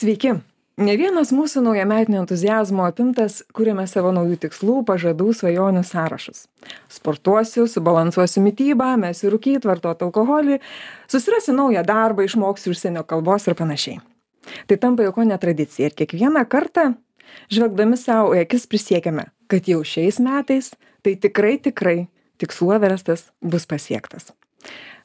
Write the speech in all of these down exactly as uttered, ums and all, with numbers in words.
Sveiki. Ne vienas mūsų naujametinio entuziazmo apimtas kuriame savo naujų tikslų, pažadų, svajonių sąrašus. Sportuosiu, subalansuosiu mitybą, mesiu rūkyt, vartot alkoholį, susirasiu naują darbą, išmoksiu užsienio kalbos ir panašiai. Tai tampa jau ko netradicija ir kiekvieną kartą, žvelgdami savo į akis, prisiekiame, kad jau šiais metais tai tikrai, tikrai tikslų everestas bus pasiektas.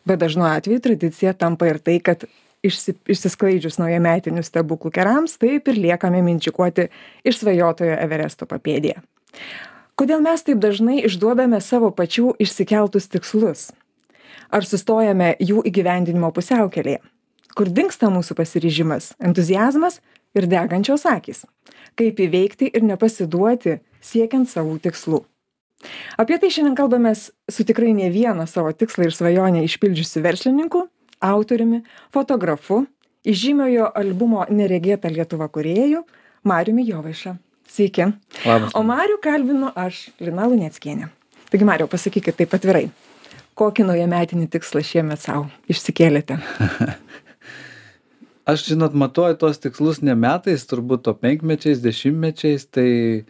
Bet dažnu atveju tradicija tampa ir tai, kad Išsi, išsisklaidžius naujametinių stebuklų kerams, taip ir liekame minčikuoti išsvajotojo Everesto papėdėje. Kodėl mes taip dažnai išduodame savo pačių išsikeltus tikslus? Ar sustojame jų įgyvendinimo pusiaukelėje? Kur dingsta mūsų pasiryžimas, entuziazmas ir degančios akys? Kaip įveikti ir nepasiduoti siekiant savų tikslų? Apie tai šiandien kalbamės su tikrai ne vieną savo tikslą ir svajonę išpildžiusiu verslininku, autoriumi, fotografu, įžymiojo albumo Neregėta Lietuva kūrėju Mariumi Jovaiša. Sveiki. Labas. O Marių kalbinu aš, Lina Luneckienė. Taigi, Mariau, pasakykit taip atvirai, kokį naujametinį tikslą šiemet savo išsikėlėte? Aš, žinot, matuoju tos tikslus ne metais, turbūt to penkmečiais, dešimtmečiais, tai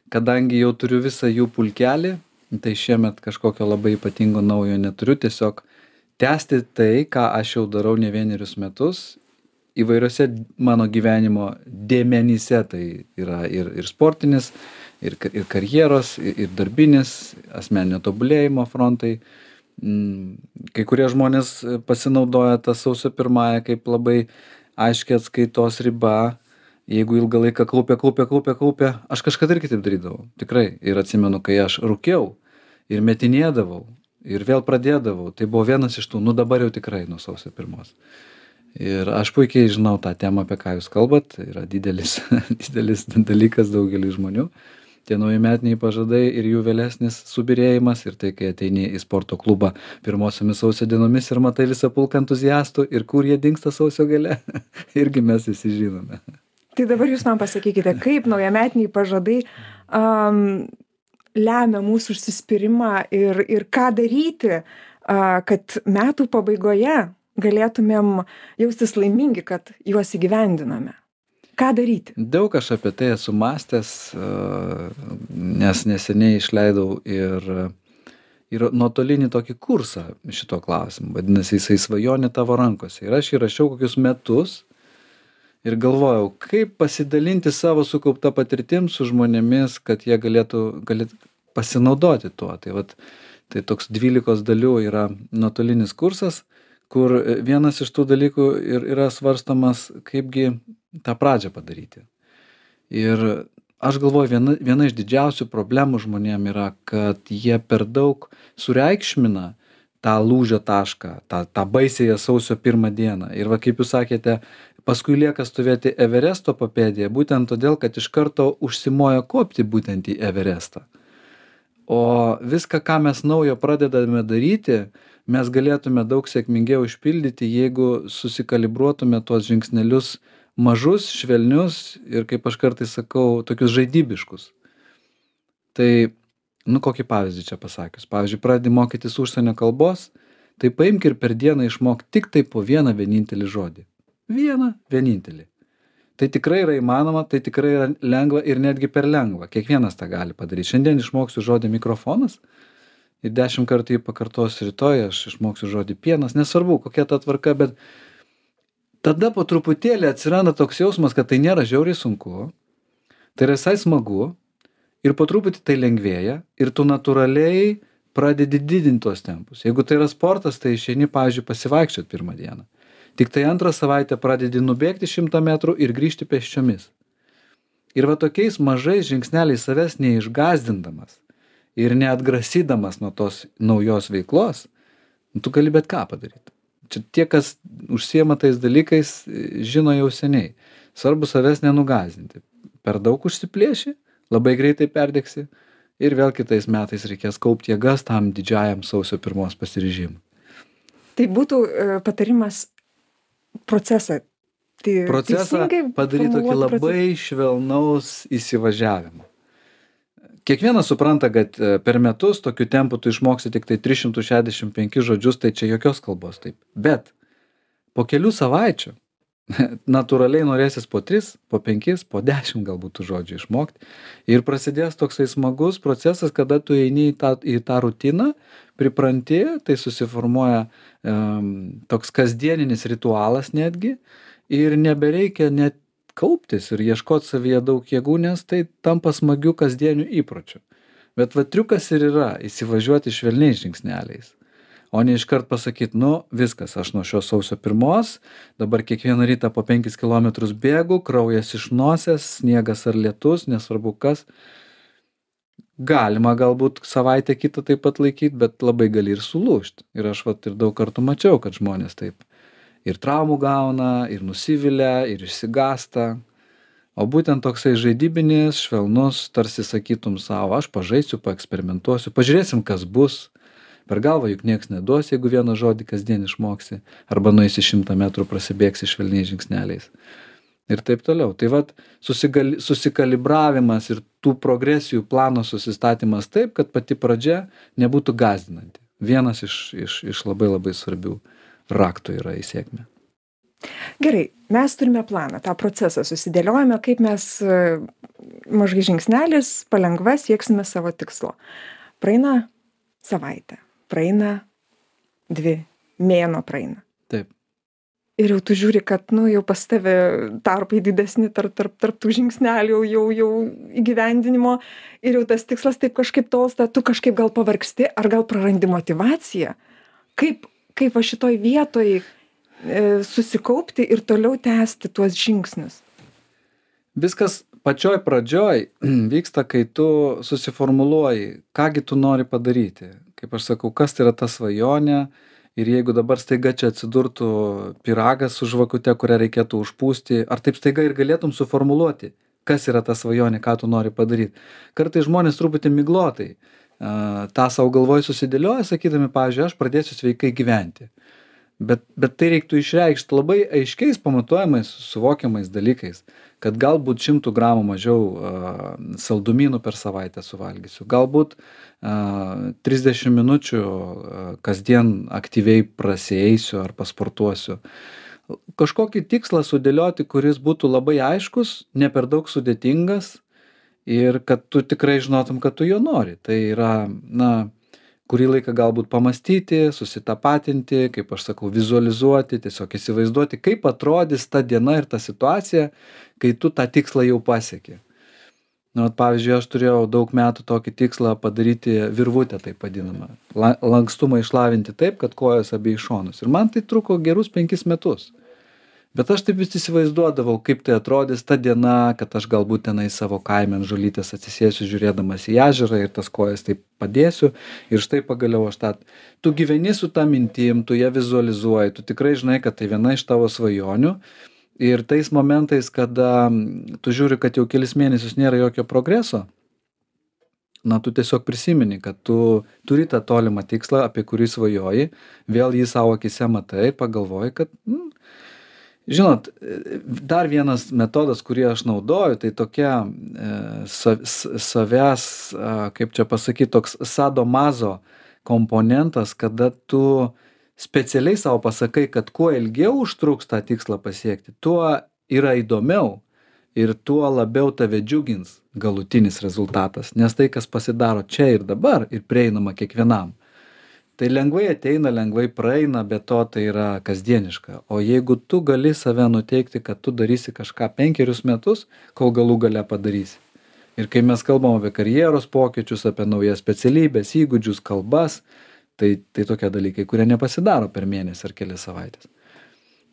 kadangi jau turiu visą jų pulkelį, tai šiemet kažkokio labai ypatingo naujo neturiu, tiesiog tęsti tai, ką aš jau darau ne vienerius metus, įvairiose mano gyvenimo dėmenyse, tai yra ir, ir sportinis, ir, ir karjeros, ir, ir darbinis, asmeninio tobulėjimo frontai. Kai kurie žmonės pasinaudoja tą sausio pirmąją kaip labai aiškiai atskaitos riba, jeigu ilgą laiką kaupia, kaupia, kaupia, kaupia, aš kažkada irgi taip darydavau, tikrai, ir atsimenu, kai aš rūkiau ir metinėdavau, ir vėl pradėdavau. Tai buvo vienas iš tų, nu dabar jau tikrai nuo sausio pirmos. Ir aš puikiai žinau tą temą, apie ką jūs kalbat. Yra didelis, didelis dalykas daugeliui žmonių. Tie naujametiniai pažadai ir jų vėlesnis subyrėjimas. Ir tai, kai ateini į sporto klubą pirmosiomis sausio dienomis ir matai visą pulką entuziastų ir kur jie dingsta sausio gale. Irgi mes visi žinome. Tai dabar jūs man pasakykite, kaip naujametiniai pažadai um, lemia mūsų užsispyrimą ir, ir ką daryti, kad metų pabaigoje galėtumėm jaustis laimingi, kad juos įgyvendiname. Ką daryti? Daug aš apie tai esu mąstęs, nes neseniai išleidau ir, ir nuotolinį tokį kursą šito klausimu. Vadinasi, jisai svajonė tavo rankose. Ir aš įrašiau kokius metus ir galvojau, kaip pasidalinti savo sukauptą patirtim su žmonėmis, kad jie galėtų, galėtų pasinaudoti tuo. Tai, vat, tai toks dvylikos dalių yra nuotolinis kursas, kur vienas iš tų dalykų ir yra svarstomas, kaipgi tą pradžią padaryti. Ir aš galvoju, viena, viena iš didžiausių problemų žmonėm yra, kad jie per daug sureikšmina tą lūžio tašką, tą, tą baisėją sausio pirmą dieną. Ir va, kaip jūs sakėte, paskui lieka stovėti Everesto papėdėje, būtent todėl, kad iš karto užsimoja kopti būtent į Everestą. O viską, ką mes naujo pradedame daryti, mes galėtume daug sėkmingiau išpildyti, jeigu susikalibruotume tuos žingsnelius mažus, švelnius ir, kaip aš kartais sakau, tokius žaidybiškus. Tai, nu, kokį pavyzdį čia pasakius. Pavyzdžiui, pradedi mokytis užsienio kalbos, tai paimk ir per dieną išmok tik tai po vieną vienintelį žodį. Vieną vienintelį. Tai tikrai yra įmanoma, tai tikrai yra lengva ir netgi per lengva. Kiekvienas tą gali padaryti. Šiandien išmoksiu žodį mikrofonas ir dešimt kartų jį pakartosiu rytoj, aš išmoksiu žodį pienas. Nesvarbu, kokia ta tvarka, bet tada po truputėlį atsiranda toks jausmas, kad tai nėra žiauriai sunku, tai yra visai smagu ir po truputį tai lengvėja ir tu natūraliai pradedi didinti tuos tempus. Jeigu tai yra sportas, tai išeini, pavyzdžiui, pasivaikščioti pirmą dieną. Tik tai antrą savaitę pradedi nubėgti šimtą metrų ir grįžti pėsčiomis. Ir va tokiais mažais žingsneliais savęs neišgąsdindamas ir neatgrasydamas nuo tos naujos veiklos, tu gali bet ką padaryti. Čia tie, kas užsiema tais dalykais, žino jau seniai. Svarbu savęs nenugąsdinti. Per daug užsiplėši, labai greitai perdegsi ir vėl kitais metais reikės kaupti jėgas tam didžiajam sausio pirmos pasiryžimui. Tai būtų patarimas procesą. Tai procesą padaryti tokį labai procesą. Švelnaus įsivažiavimo. Kiekvienas supranta, kad per metus tokiu tempu tu išmoksi tik tai tris šimtus šešiasdešimt penkis žodžius, tai čia jokios kalbos taip. Bet po kelių savaičių natūraliai norėsis po tris, po penkis, po dešimt galbūt tų žodžių išmokti. Ir prasidės toksai smagus procesas, kada tu eini į tą, į tą rutiną, pripranti, tai susiformuoja um, toks kasdieninis ritualas netgi ir nebereikia net kauptis ir ieškoti savyje daug jėgų, nes tai tampa smagių kasdienių įpročių. Bet va triukas ir yra įsivažiuoti švelniais žingsneliais. O ne iškart pasakyti, nu viskas, aš nuo šios sausio pirmos, dabar kiekvieną rytą po penkis kilometrus bėgu, kraujas iš nosies, sniegas ar lietus, nesvarbu kas. Galima galbūt savaitę kitą taip pat laikyti, bet labai gali ir sulūžti. Ir aš vat ir daug kartų mačiau, kad žmonės taip ir traumų gauna, ir nusivilia, ir išsigąsta. O būtent toksai žaidybinis, švelnus, tarsi sakytum savo, aš pažaisiu, paeksperimentuosiu, pažiūrėsim, kas bus. Per galvą juk nieks neduos, jeigu vieną žodį kasdien išmoksi, arba nueisi šimtą metrų prasibėgsi švelniais žingsneliais. Ir taip toliau. Tai vat susigali, susikalibravimas ir tų progresijų plano susistatymas taip, kad pati pradžia nebūtų gąsdinanti. Vienas iš, iš, iš labai labai svarbių raktų yra į sėkmę. Gerai, mes turime planą, tą procesą susidėliojame, kaip mes mažai žingsnelis palengva sieksime savo tikslo. Praeina savaitę. Praeina dvi, mėnuo praeina. Taip. Ir jau tu žiūri, kad, nu, jau pas tave tarpai didesni tarp, tarp, tarp tų žingsnelių, jau, jau įgyvendinimo, ir jau tas tikslas taip kažkaip tolsta, tu kažkaip gal pavargsti, ar gal prarandi motivaciją. Kaip, kaip va šitoj vietoj e, susikaupti ir toliau tęsti tuos žingsnius? Viskas pačioj pradžioj vyksta, kai tu susiformuluoji, kągi tu nori padaryti. Kaip aš sakau, kas tai yra ta svajonė, ir jeigu dabar staiga čia atsidurtų pyragas su žvakute, kurią reikėtų užpūsti, ar taip staiga ir galėtum suformuluoti, kas yra ta svajonė, ką tu nori padaryti. Kartais žmonės truputį miglotai uh, tą savo galvoj susidėlioja, sakydami, pavyzdžiui, aš pradėsiu sveikai gyventi. Bet, bet tai reiktų išreikšti labai aiškiais, pamatuojamais, suvokiamais dalykais, kad galbūt šimtų gramų mažiau uh, saldumynų per savaitę suvalgysiu, galbūt uh, trisdešimt minučių uh, kasdien aktyviai prasieisiu ar pasportuosiu. Kažkokį tikslą sudėlioti, kuris būtų labai aiškus, ne per daug sudėtingas ir kad tu tikrai žinotum, kad tu jo nori. Tai yra, na, kurį laiką galbūt pamastyti, susitapatinti, kaip aš sakau, vizualizuoti, tiesiog įsivaizduoti, kaip atrodys ta diena ir ta situacija, kai tu tą tikslą jau pasieki. Na, pavyzdžiui, aš turėjau daug metų tokį tikslą padaryti virvutę, taip vadinamą. Lankstumą išlavinti taip, kad kojos abiejų šonus. Ir man tai truko gerus penkis metus. Bet aš taip vis įsivaizduodavau, kaip tai atrodys ta diena, kad aš galbūt tenai savo kaime ant žolytės atsisėsiu žiūrėdamas į ežerą ir tas kojas taip padėsiu. Ir štai pagaliau aš tą... Tu gyveni su tą mintim, tu ją vizualizuoji, tu tikrai žinai, kad tai viena iš tavo svajonių. Ir tais momentais, kada tu žiūri, kad jau kelis mėnesius nėra jokio progreso, na, tu tiesiog prisimeni, kad tu turi tą tolimą tikslą, apie kurį svajoji, vėl jį savo akise matai, pagalvoji, kad... Mm, žinot, dar vienas metodas, kurį aš naudoju, tai tokia e, sa, savęs, e, kaip čia pasakyti, toks sadomazo komponentas, kada tu specialiai savo pasakai, kad kuo ilgiau užtruks tą tikslą pasiekti, tuo yra įdomiau ir tuo labiau tave džiugins galutinis rezultatas, nes tai, kas pasidaro čia ir dabar ir prieinama kiekvienam. Tai lengvai ateina, lengvai praeina, bet to tai yra kasdieniška. O jeigu tu gali save nuteikti, kad tu darysi kažką penkerius metus, kol galų gale padarysi. Ir kai mes kalbam apie karjeros pokyčius, apie naujas specialybės, įgūdžius, kalbas, tai, tai tokie dalykai, kurie nepasidaro per mėnesį ar kelias savaitės.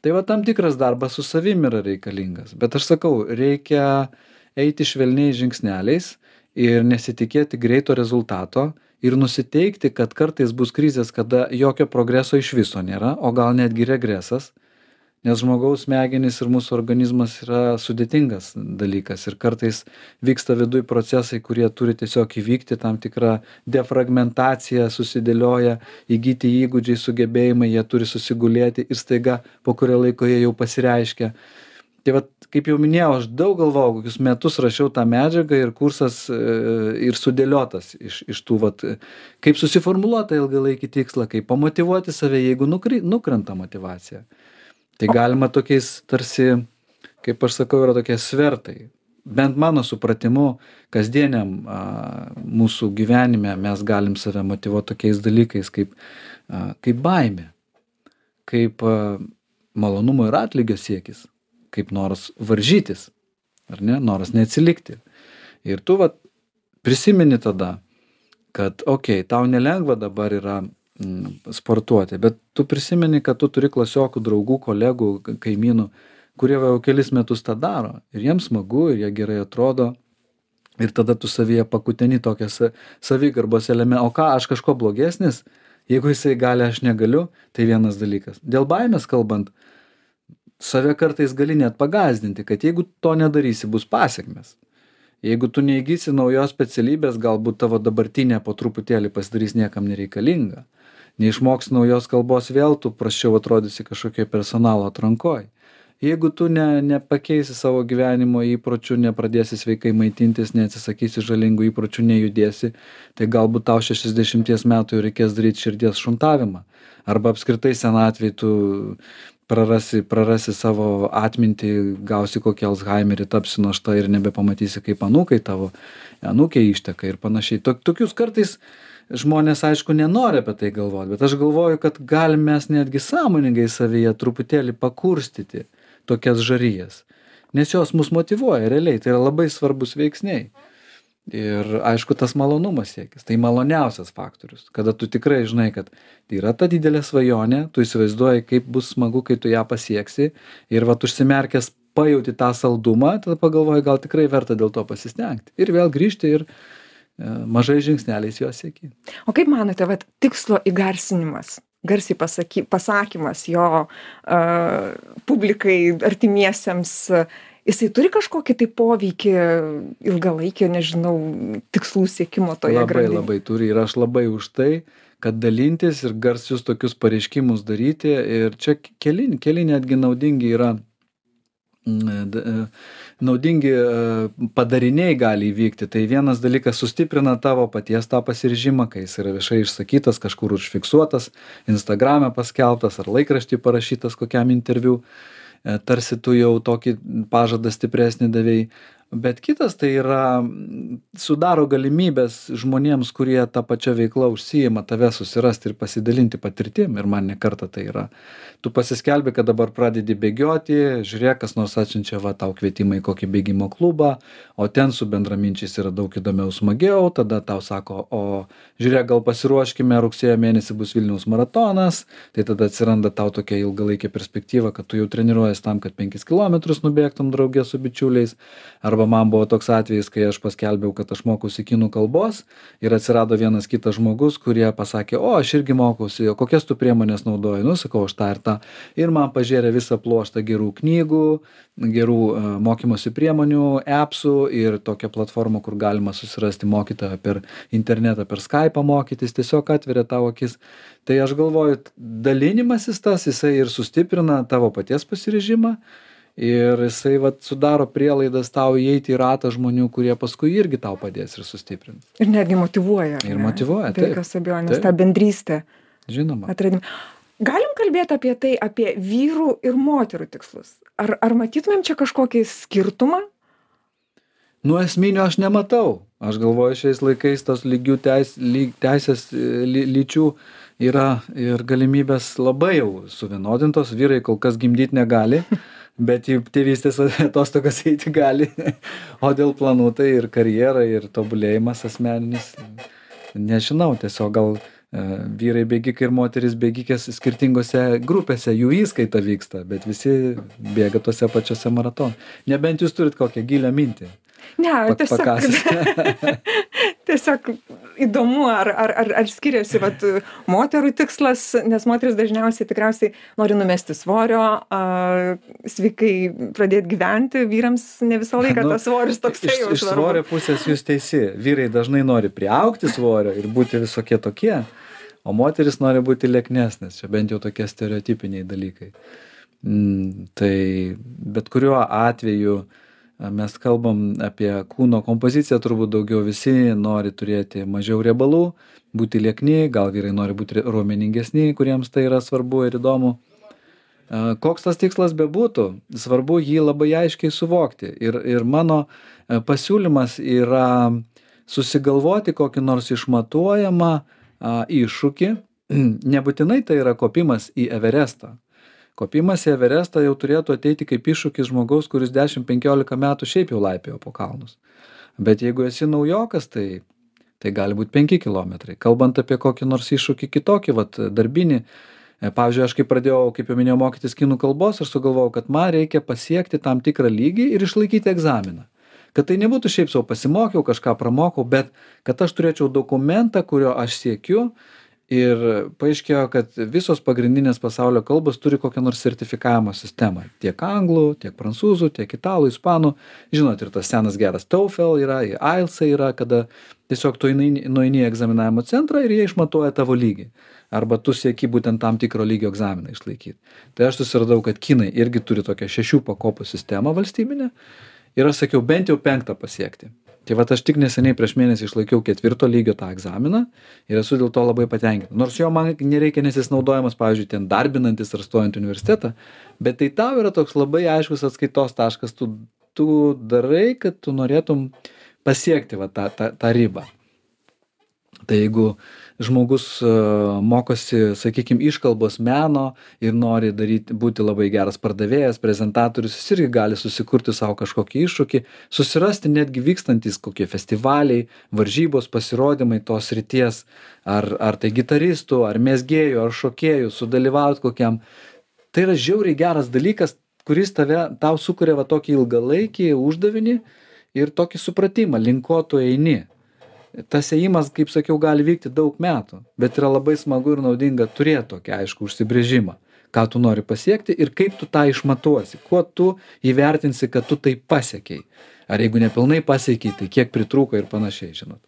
Tai va tam tikras darbas su savim yra reikalingas. Bet aš sakau, reikia eiti švelniais žingsneliais ir nesitikėti greito rezultato, ir nusiteikti, kad kartais bus krizės, kada jokio progreso iš viso nėra, o gal netgi regresas, nes žmogaus smegenys ir mūsų organizmas yra sudėtingas dalykas ir kartais vyksta viduj procesai, kurie turi tiesiog įvykti, tam tikra defragmentacija susidėlioja, įgyti įgūdžiai, sugebėjimai, jie turi susigulėti ir staiga po kurio laiko jie jau pasireiškia. Tai vat, kaip jau minėjau, aš daug galvojau, kokius metus rašiau tą medžiagą ir kursas e, ir sudėliotas iš, iš tų, vat, kaip susiformuluoti ilgalaikį tikslą, kaip pamotyvuoti save, jeigu nukri, nukrenta motyvacija. Tai galima tokiais tarsi, kaip aš sakau, yra tokie svertai. Bent mano supratimu, kasdieniam a, mūsų gyvenime mes galim save motyvuoti tokiais dalykais kaip, a, kaip baimė, kaip a, malonumo ir atlygio siekis, kaip noras varžytis, ar ne, noras neatsilikti. Ir tu vat prisimeni tada, kad okei, okay, tau nelengva dabar yra mm, sportuoti, bet tu prisimeni, kad tu turi klasiokų, draugų, kolegų, kaimynų, kurie jau kelis metus tą daro ir jiems smagu ir jie gerai atrodo ir tada tu savyje pakuteni tokią savigarbos elementą, o ką, aš kažko blogesnis, jeigu jisai gali, aš negaliu, tai vienas dalykas. Dėl baimės kalbant, save kartais gali net pagąsdinti, kad jeigu to nedarysi, bus pasekmės. Jeigu tu neįgysi naujos specialybės, galbūt tavo dabartinė po truputėlį pasidarys niekam nereikalinga. Neišmoksi naujos kalbos, vėl tu prasčiau atrodysi kažkokioj personalo atrankoj. Jeigu tu ne, nepakeisi savo gyvenimo įpročių, nepradėsi sveikai maitintis, neatsisakysi žalingų įpročių, nejudėsi, tai galbūt tau šešiasdešimties metų jau reikės daryti širdies šuntavimą. Arba apskritai senatvėj tu prarasi, prarasi savo atmintį, gausi kokį Alzheimerį, tapsi našta ir nebepamatysi, kaip anūkai tavo, anūkiai išteka ir panašiai. Tokius kartais žmonės, aišku, nenori apie tai galvoti, bet aš galvoju, kad galim mes netgi sąmoningai savyje truputėlį pakurstyti tokias žarijas, nes jos mus motyvuoja realiai, tai yra labai svarbus veiksniai. Ir aišku, tas malonumas siekis, tai maloniausias faktorius, kada tu tikrai žinai, kad tai yra ta didelė svajonė, tu įsivaizduoji, kaip bus smagu, kai tu ją pasieksi ir vat užsimerkęs pajauti tą saldumą, tada pagalvoji, gal tikrai verta dėl to pasistengti. Ir vėl grįžti ir e, mažai žingsneliais jo sieki. O kaip manote, vat, tikslo įgarsinimas, garsiai pasaky, pasakymas jo uh, publikai, artimiesiems, uh, jisai turi kažkokį tai poveikį ilgalaikio, nežinau, tikslų siekimo toje labai, grandinėje? Labai turi ir aš labai už tai, kad dalintis ir garsius tokius pareiškimus daryti ir čia keli, keli netgi naudingi yra naudingi padariniai gali įvykti. Tai vienas dalykas sustiprina tavo paties tą pasiryžimą, kai jis yra viešai išsakytas, kažkur užfiksuotas, Instagrame paskelbtas ar laikraštį parašytas kokiam interviu, tarsi tu jau tokį pažadą stipresnį davėjai. Bet kitas tai yra, sudaro galimybės žmonėms, kurie tą pačią veiklą užsiima, tave susirasti ir pasidalinti patirtim. Ir man ne kartą tai yra. Tu pasiskelbi, kad dabar pradedi bėgioti, žiūrėk, kas nors atsiunčia va, tau kvietimą į kokį bėgimo klubą, o ten su bendraminčiais yra daug įdomiau, smagiau, tada tau sako, o žiūrėk, gal pasiruoškime, rugsėjo mėnesį bus Vilniaus maratonas, tai tada atsiranda tau tokia ilgalaikė perspektyva, kad tu jau treniruojies tam, kad penkis kilometrus nubėgtum draugė su bičiuliais. Arba man buvo toks atvejis, kai aš paskelbiau, kad aš mokausi kinų kalbos ir atsirado vienas kitas žmogus, kurie pasakė, o aš irgi mokausi, o kokias tu priemonės naudoji, nu sakau, aš tą ir tą. Ir man pažėrė visą pluoštą gerų knygų, gerų uh, mokymosi priemonių, appsų ir tokią platformą, kur galima susirasti mokytoją per internetą, per Skype'ą mokytis, tiesiog atveria tavo akis. Tai aš galvoju, dalinimasis tas, jisai ir sustiprina tavo paties pasiryžimą. Ir jisai vat, sudaro prielaidas tau įeiti į ratą žmonių, kurie paskui irgi tau padės ir sustiprins. Ir netgi motyvuoja. Ir motyvuoja, taip. Jokios abejonės, tą bendrystę. Žinoma. Atradim. Galim kalbėti apie tai, apie vyrų ir moterų tikslus. Ar, ar matytumėm čia kažkokį skirtumą? Nu, esminio aš nematau. Aš galvoju, šiais laikais tos lygių teis, lyg, teisės ly, lyčių yra ir galimybės labai jau suvienodintos. Vyrai kol kas gimdyti negali. Bet į tėvystės atostogas eiti gali. O dėl planų tai ir karjera, ir tobulėjimas asmeninis. Nežinau, tiesiog gal e, vyrai bėgikai ir moteris bėgikės skirtingose grupėse, jų įskaita vyksta, bet visi bėga tose pačiose maratonų. Nebent jūs turit kokią gilią mintį. Ne, tiesiog, tiesiog įdomu, ar, ar, ar, ar skiriasi vat, moterų tikslas, nes moteris dažniausiai tikriausiai nori numesti svorio, a, sveikai pradėti gyventi, vyrams ne visą laiką nu, tas svoris toksai jau svarbu. Iš svorio pusės jūs teisi, vyrai dažnai nori priaugti svorio ir būti visokie tokie, o moteris nori būti lieknesnės, čia bent jau tokie stereotipiniai dalykai. Mm, tai bet kuriuo atveju mes kalbam apie kūno kompoziciją, turbūt daugiau visi nori turėti mažiau riebalų, būti liekni, gal vyrai nori būti raumeningesni, kuriems tai yra svarbu ir įdomu. Koks tas tikslas bebūtų, svarbu jį labai aiškiai suvokti. Ir, ir mano pasiūlymas yra susigalvoti kokį nors išmatuojamą a, iššūkį. Nebūtinai tai yra kopimas į Everestą. Kopimas į Everestą jau turėtų ateiti kaip iššūkis žmogaus, kuris dešimt penkiolika metų šiaip jau laipiojo po kalnus. Bet jeigu esi naujokas, tai, tai gali būti penki kilometrai. Kalbant apie kokį nors iššūkį kitokį, vat, darbinį, pavyzdžiui, aš kai pradėjau, kaip jau minėjau, mokytis kinų kalbos, aš sugalvojau, kad man reikia pasiekti tam tikrą lygį ir išlaikyti egzaminą. Kad tai nebūtų šiaip savo pasimokiau, kažką pramokau, bet kad aš turėčiau dokumentą, kurio aš siekiu. Ir paaiškėjo, kad visos pagrindinės pasaulio kalbos turi kokią nors sertifikavimo sistemą. Tiek anglų, tiek prancūzų, tiek italų, ispanų. Žinot, ir tas senas geras TOEFL yra, I E L T S yra, kada tiesiog tu nueini į egzaminavimo centrą ir jie išmatuoja tavo lygį. Arba tu sieki būtent tam tikro lygio egzaminą išlaikyti. Tai aš susiradau, kad kinai irgi turi tokią šešių pakopų sistemą valstybinę. Ir aš sakiau, bent jau penktą pasiekti. Tai vat aš tik neseniai prieš mėnesį išlaikiau ketvirto lygio tą egzaminą ir esu dėl to labai patenkintas. Nors jo man nereikia, nes jis naudojamas, pavyzdžiui, ten darbinantis ar stojant į universitetą, bet tai tau yra toks labai aiškus atskaitos taškas, tu, tu darai, kad tu norėtum pasiekti va, tą, tą, tą ribą. Tai jeigu žmogus uh, mokosi, sakykime, iškalbos meno ir nori daryti, būti labai geras pardavėjas, prezentatorius, jis irgi gali susikurti savo kažkokį iššūkį, susirasti netgi vykstantis kokie festivaliai, varžybos, pasirodymai tos srities, ar, ar tai gitaristų, ar mezgėjų, ar šokėjų, sudalyvauti kokiam. Tai yra žiauriai geras dalykas, kuris tave, tau sukuria va tokį ilgalaikį uždavinį ir tokį supratimą, link ko tu eini. Tas ėjimas, kaip sakiau, gali vykti daug metų, bet yra labai smagu ir naudinga turėti tokį aišku užsibrėžimą, ką tu nori pasiekti ir kaip tu tą išmatuosi, kuo tu įvertinsi, kad tu tai pasiekiai. Ar jeigu nepilnai pasiekiai, tai kiek pritrūko ir panašiai, žinot.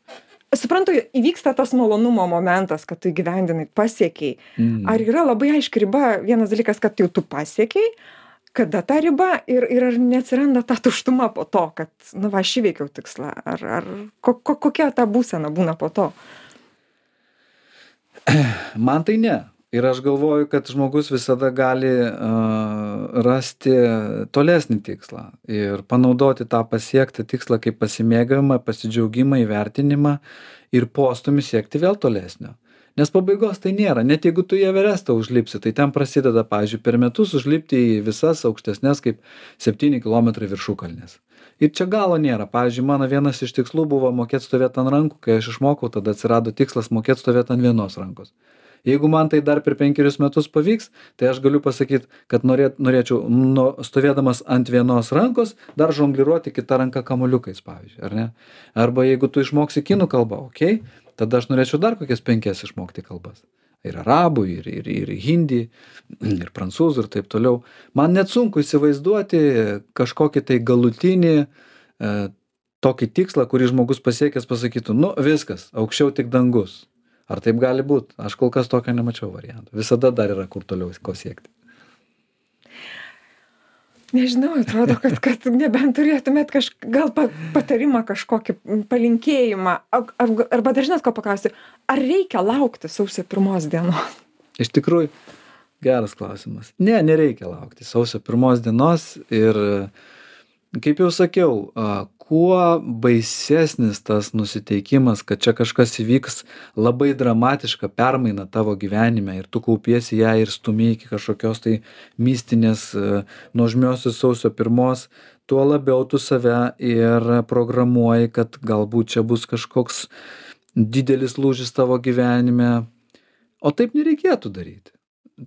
Suprantu, įvyksta tas malonumo momentas, kad tu įgyvendinai, pasiekiai. Mm. Ar yra labai aiški riba, vienas dalykas, kad jau tu pasiekiai, kada ta riba ir, ir ar neatsiranda ta tuštuma po to, kad, nu va, aš įveikiau tikslą, ar, ar ko, ko, kokia ta būsena būna po to? Man tai ne. Ir aš galvoju, kad žmogus visada gali uh, rasti tolesnį tikslą ir panaudoti tą pasiektą tikslą kaip pasimėgavimą, pasidžiaugimą, įvertinimą ir postūmį siekti vėl tolesnio. Nes pabaigos tai nėra. Net jeigu tu į Everestą užlipsi, tai ten prasideda, pavyzdžiui, per metus užlipti į visas aukštesnės kaip septyni kilometrai viršukalnės. Ir čia galo nėra. Pavyzdžiui, mano vienas iš tikslų buvo mokėti stovėti ant rankų, kai aš išmokau, tada atsirado tikslas mokėti stovėti ant vienos rankos. Jeigu man tai dar per penkerius metus pavyks, tai aš galiu pasakyti, kad norėt, norėčiau nu, stovėdamas ant vienos rankos dar žongliruoti kitą ranką kamuoliukais, pavyzdžiui, ar ne? Arba jeigu tu išmoksi kinų kalbą, okei, okay, tada aš norėčiau dar kokias penkias išmokti kalbas. Ir arabų, ir, ir, ir hindi, ir prancūzų, ir taip toliau. Man net sunku įsivaizduoti kažkokį tai galutinį e, tokį tikslą, kurį žmogus pasiekęs pasakytų, nu viskas, aukščiau tik dangus. Ar taip gali būti? Aš kol kas tokio nemačiau variantų. Visada dar yra kur toliau ko siekti. Nežinau, atrodo, kad, kad nebent turėtumėt kaž, gal pa, patarimą kažkokį palinkėjimą. Ar, arba dar žinot, ko paklausti, ar reikia laukti sausio pirmos dienos? Iš tikrųjų, geras klausimas. Ne, nereikia laukti sausio pirmos dienos ir, kaip jau sakiau, kuo baisesnis tas nusiteikimas, kad čia kažkas įvyks labai dramatiška permaina tavo gyvenime ir tu kaupiesi ją ir stumi iki kažkokios tai mistinės nuožmiosios sausio pirmos, tuo labiau tu save ir programuoji, kad galbūt čia bus kažkoks didelis lūžis tavo gyvenime, o taip nereikėtų daryti.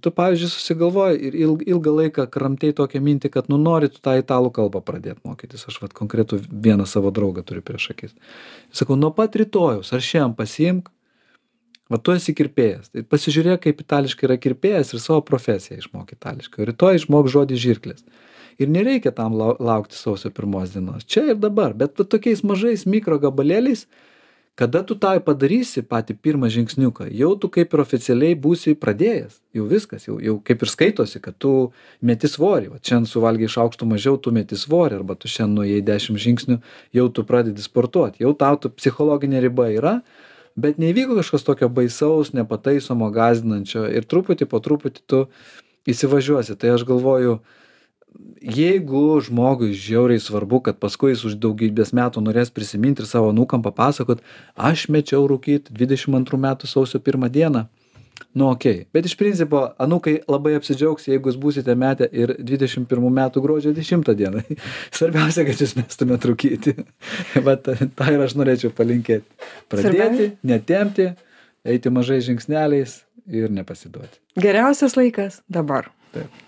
Tu, pavyzdžiui, susigalvoji ir ilg, ilgą laiką kramtei tokią mintį, kad nu nori tu tą italų kalbą pradėti mokytis. Aš vat konkretų vieną savo draugą turiu prieš akis. Sakau, nuo pat rytojaus, ar šiandien pasiimk, va tu esi kirpėjas. Tai pasižiūrėk, kaip itališkai yra kirpėjas ir savo profesiją išmok itališkai. Rytoj išmok žodį žirklės. Ir nereikia tam laukti sausio pirmos dienos. Čia ir dabar, bet tokiais mažais mikro gabalėliais, kada tu tą padarysi patį pirmą žingsniuką, jau tu kaip ir oficialiai būsi pradėjęs. Jau viskas, jau, jau kaip ir skaitosi, kad tu meti svorį. Va, šiandien suvalgiai šaukštų mažiau, tu meti svorį, arba tu šiandien nuėjai dešimt žingsnių, jau tu pradedi sportuoti. Jau tau tu psichologinė riba yra, bet neįvyko kažkas tokio baisaus, nepataisomo, gąsdinančio ir truputį po truputį tu įsivažiuosi. Tai aš galvoju, jeigu žmogui žiauriai svarbu, kad paskui jis už daugybės metų norės prisiminti ir savo anūkam papasakot, aš mečiau rūkyt dvidešimt antrų metų sausio pirmą dieną, nu okei. Okay. Bet iš principo, anūkai labai apsidžiaugs, jeigu jūs būsite metę ir dvidešimt pirmų metų gruodžio dešimtą dieną. Svarbiausia, kad jūs mestumėt rūkyti. Bet tą ir aš norėčiau palinkėti. Pradėti, netempti, eiti mažai žingsneliais ir nepasiduoti. Geriausias laikas dabar. Taip.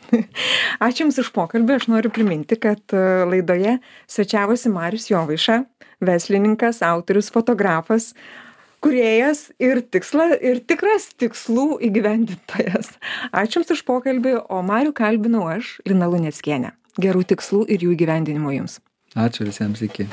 Ačiū Jums už pokalbį. Aš noriu priminti, kad laidoje svečiavosi Marius Jovaiša, verslininkas, autorius, fotografas, kūrėjas ir tiksla, ir tikras tikslų įgyvendintojas. Ačiū Jums už pokalbį, o Marių kalbinau aš, Lina Luneckienė. Gerų tikslų ir jų įgyvendinimo Jums. Ačiū visiems, iki.